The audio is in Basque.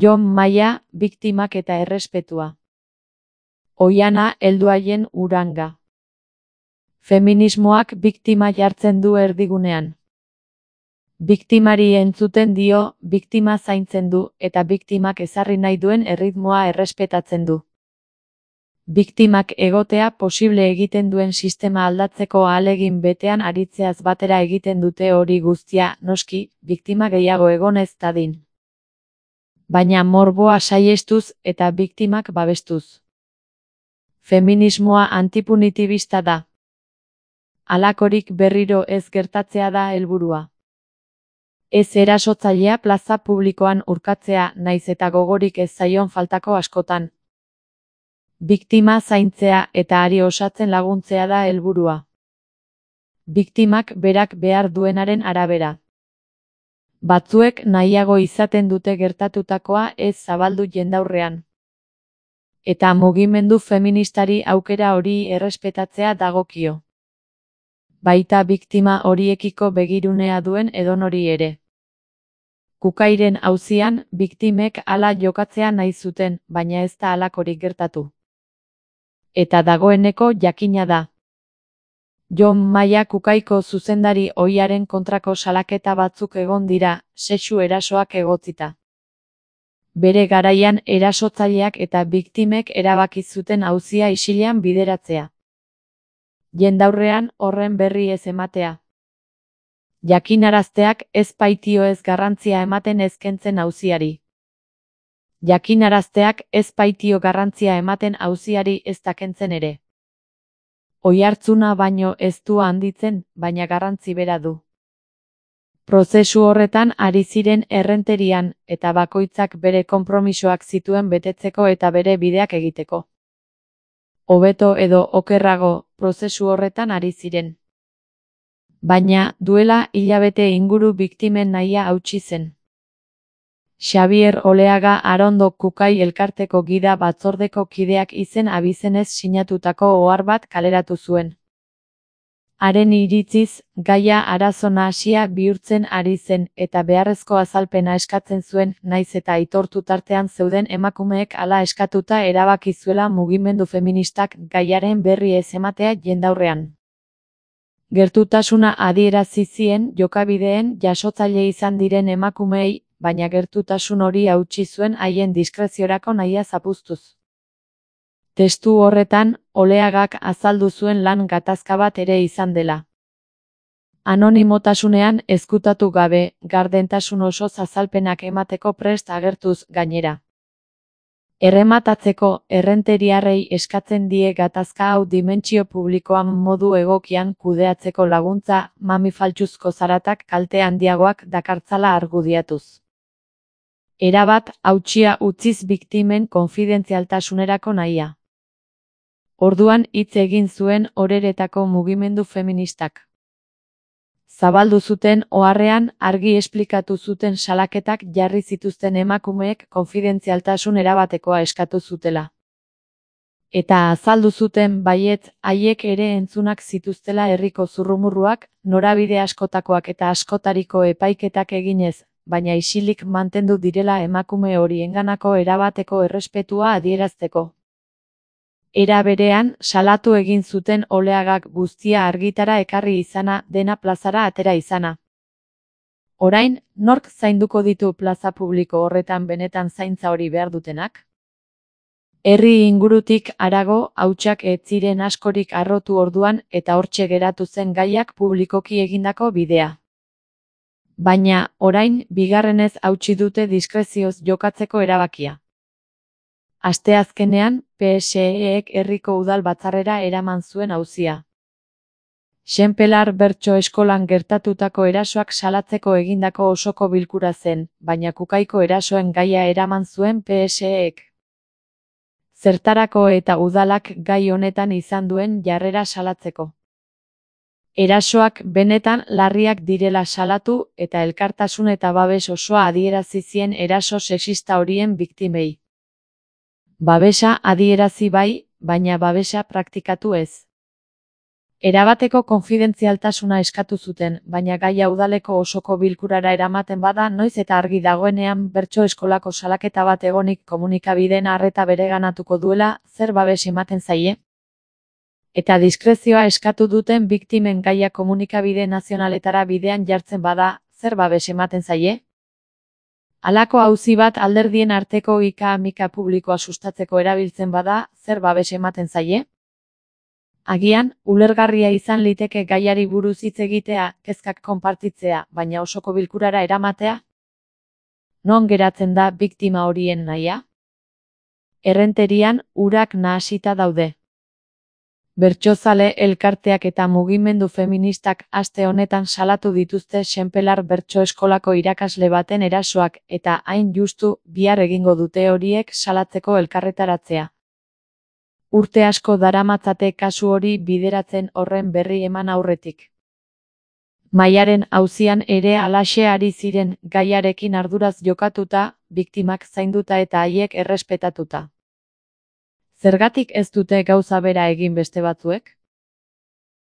Jon Maia, biktimak eta errespetua. Oihana helduaien Uranga. Feminismoak biktima jartzen du erdigunean. Biktimari entzuten dio, biktima zaintzen du, eta biktimak ezarri nahi duen erritmoa errespetatzen du. Biktimak egotea posible egiten duen sistema aldatzeko ahalegin betean aritzeaz batera egiten dute hori guztia, noski, biktima gehiago egon ez dadin. Baina morboa saihestuz eta biktimak babestuz. Feminismoa antipunitibista da. Halakorik berriro ez gertatzea da helburua. Ez erasotzailea plaza publikoan urkatzea, naiz eta gogorik ez zaion faltako askotan. Biktima zaintzea eta hari osatzen laguntzea da helburua. Biktimak berak behar duenaren arabera. Batzuek nahiago izaten dute gertatutakoa ez zabaldu jendaurrean. Eta mugimendu feministari aukera hori errespetatzea dagokio. Baita biktima horiekiko begirunea duen edonori ere. Kukairen auzian, biktimek hala jokatzea nahi zuten, baina ez da halakorik gertatu. Eta dagoeneko jakina da. Jon Maia Kukaiko zuzendari ohiaren kontrako salaketa batzuk egon dira, sexu erasoak egotzita. Bere garaian erasotzaileak eta biktimek erabaki zuten auzia isilean bideratzea. Jendaurrean horren berri ez ematea. Jakinarazteak ez baitio ez garrantzia ematen ezkentzen auziari. Jakinarazteak ez baitio garrantzia ematen auziari ez dakentzen ere. Oihartzuna baino ez du handitzen, baina garrantzi bera du. Prozesu horretan ari ziren errenterian, eta bakoitzak bere konpromisoak zituen betetzeko eta bere bideak egiteko. Hobeto edo okerrago, prozesu horretan ari ziren. Baina, duela hilabete inguru biktimen nahia hautsi zen. Xabier Oleaga Arondo Kukai elkarteko gida batzordeko kideak izen abizenez sinatutako ohar bat kaleratu zuen. Haren iritziz, gaia arazo nahasia bihurtzen ari zen eta beharrezko azalpena eskatzen zuen, naiz eta aitortu tartean zeuden emakumeek hala eskatuta erabaki zuela mugimendu feministak gaiaren berri ez ematea jendaurrean. Gertutasuna adierazi zien jokabideen jasotzaile izan diren emakumeei, baina gertutasun hori hautsi zuen haien diskreziorako nahia zapuztuz. Testu horretan, Oleagak azaldu zuen lan gatazka bat ere izan dela. Anonimotasunean ezkutatu gabe, gardentasun osoz azalpenak emateko prest agertuz gainera. Errematatzeko, errenteriarrei eskatzen die gatazka hau dimentsio publikoan modu egokian kudeatzeko laguntza, mami faltsuzko zaratak kalte handiagoak dakartzala argudiatuz. Erabat, hautsia utziz biktimen konfidentzialtasunerako nahia. Orduan hitz egin zuen oreretako mugimendu feministak. Zabaldu zuten oharrean argi esplikatu zuten salaketak jarri zituzten emakumeek konfidentzialtasun erabatekoa eskatu zutela. Eta azaldu zuten baietz haiek ere entzunak zituztela herriko zurrumurruak, norabide askotakoak eta askotariko epaiketak eginez, baina isilik mantendu direla emakume horienganako erabateko errespetua adierazteko. Era berean, salatu egin zuten Oleagak guztia argitara ekarri izana, dena plazara atera izana. Orain, nork zainduko ditu plaza publiko horretan benetan zaintza hori behar dutenak? Herri ingurutik harago, hautsak ez ziren askorik harrotu orduan eta hortxe geratu zen gaiak publikoki egindako bidea. Baina, orain, bigarrenez hautsi dute diskrezioz jokatzeko erabakia. Asteazkenean, PSEek herriko udal batzarrera eraman zuen auzia. Xenpelar Bertso eskolan gertatutako erasoak salatzeko egindako osoko bilkura zen, baina Kukaiko erasoen gaia eraman zuen PSEek. Zertarako eta udalak gai honetan izan duen jarrera salatzeko. Erasoak benetan larriak direla salatu eta elkartasun eta babes osoa adierazi zien eraso sexista horien biktimei. Babesa adierazi bai, baina babesa praktikatu ez. Erabateko konfidentzialtasuna eskatu zuten, baina gaia udaleko osoko bilkurara eramaten bada noiz eta argi dagoenean bertso eskolako salaketa bat egonik komunikabideen arreta bereganatuko duela, zer babes ematen zaie? Eta diskrezioa eskatu duten biktimen gaia komunikabide nazionaletara bidean jartzen bada, zer babes ematen zaie? Halako auzi bat alderdien arteko ika-mika publikoa sustatzeko erabiltzen bada, zer babes ematen zaie? Agian, ulergarria izan liteke gaiari buruz hitz egitea, kezkak konpartitzea, baina osoko bilkurara eramatea? Non geratzen da biktima horien nahia? Errenterian, urak nahasita daude. Bertsozale elkarteak eta mugimendu feministak aste honetan salatu dituzte Senpelar bertso eskolako irakasle baten erasoak eta hain justu bihar egingo dute horiek salatzeko elkarretaratzea. Urte asko daramatzate kasu hori bideratzen horren berri eman aurretik. Mahaiaren auzian ere halaxe ari ziren gaiarekin arduraz jokatuta, biktimak zainduta eta haiek errespetatuta. Zergatik ez dute gauza bera egin beste batzuek?